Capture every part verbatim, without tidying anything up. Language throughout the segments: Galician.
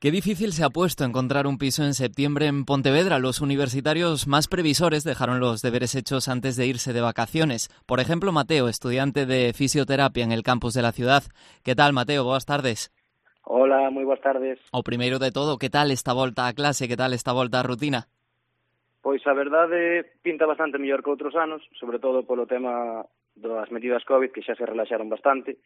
Qué difícil se ha puesto encontrar un piso en septiembre en Pontevedra. Los universitarios más previsores dejaron los deberes hechos antes de irse de vacaciones. Por ejemplo, Mateo, estudiante de fisioterapia en el campus de la ciudad. ¿Qué tal, Mateo? Boas tardes. Hola, moi boas tardes. O primeiro de todo, que tal esta volta a clase? Que tal esta volta a rutina? Pois a verdade pinta bastante mellor que outros anos, sobre todo polo tema das medidas COVID, que xa se relaxaron bastante.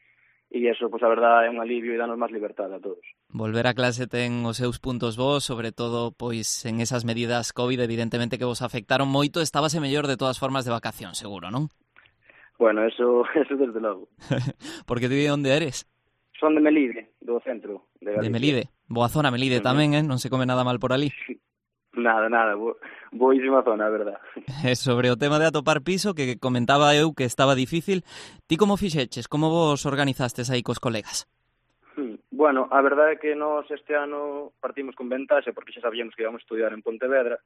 E iso, pois a verdade, é un alivio e danos máis liberdade a todos. Volver a clase ten os seus puntos bons, sobre todo pois en esas medidas COVID, evidentemente que vos afectaron moito. Estábase mellor de todas formas de vacación, seguro, non? Bueno, eso, eso desde logo. Porque ti de onde eres? Son de Melide, do centro de Galicia. De Melide. Boa zona Melide tamén, eh? Non se come nada mal por ali. Nada, nada, bo, boísima zona, a verdad. E sobre o tema de atopar piso, que comentaba eu que estaba difícil, ti como fixeches? Como vos organizastes aí cos colegas? Bueno, a verdade é que nós este ano partimos con ventaxe, porque xa sabíamos que íbamos a estudiar en Pontevedra,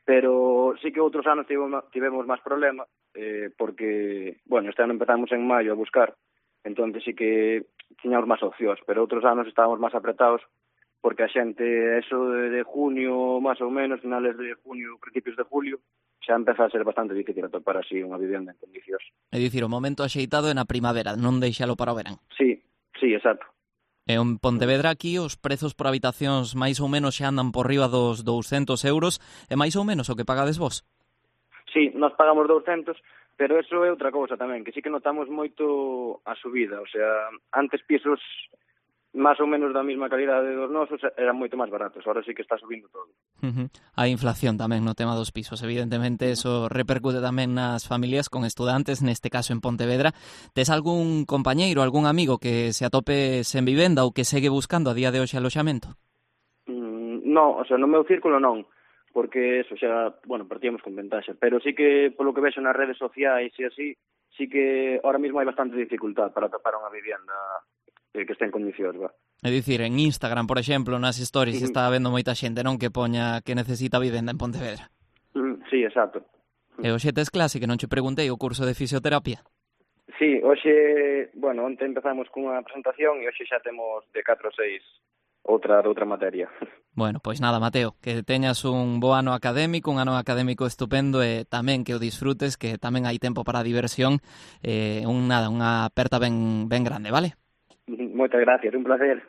pero sí que outros anos tivemos, tivemos máis problema, eh, porque, bueno, este ano empezamos en maio a buscar, entón sí que tiñamos máis opcións, pero outros anos estábamos máis apretados, porque a xente, eso de, de junio, máis ou menos, finales de junio, principios de julio, xa empeza a ser bastante difícil atopar así unha vivenda en condicións. É dicir, o momento axeitado é na primavera, non deixalo para o verán. Sí, sí, exacto. E en Pontevedra aquí os prezos por habitacións máis ou menos xa andan por riba dos douscentos euros, e máis ou menos o que pagades vos? Sí, nós pagamos douscentos, pero eso é outra cousa tamén, que sí que notamos moito a subida, o sea, antes pisos máis ou menos da mesma calidade dos nosos eran moito máis baratos, agora sí que está subindo todo. Uh-huh. A inflación tamén no tema dos pisos, evidentemente eso repercute tamén nas familias con estudantes, neste caso en Pontevedra. Tes algún compañeiro, algún amigo que se atope sen vivenda ou que segue buscando a día de hoxe aloxamento? Mm, no, o sea, no meu círculo non, porque eso xa, bueno, partíamos con ventaxa, pero sí que polo que vexo nas redes sociais e así, sí que ahora mesmo hai bastante dificultad para atopar unha vivienda que este en condicións, va. É dicir, en Instagram, por exemplo, nas stories, Uh-huh. está vendo moita xente, non, que poña que necesita vivenda en Pontevedra. Uh-huh. Sí, exacto. E hoxe tes clase, que non che preguntei, o curso de fisioterapia? Sí, hoxe, bueno, onte empezamos cunha presentación e hoxe xa temos de catro a seis outra outra materia. Bueno, pois nada, Mateo, que teñas un bo ano académico, un ano académico estupendo e tamén que o disfrutes, que tamén hai tempo para a diversión, e un nada, unha aperta ben ben grande, vale? Moitas gracias, un placer.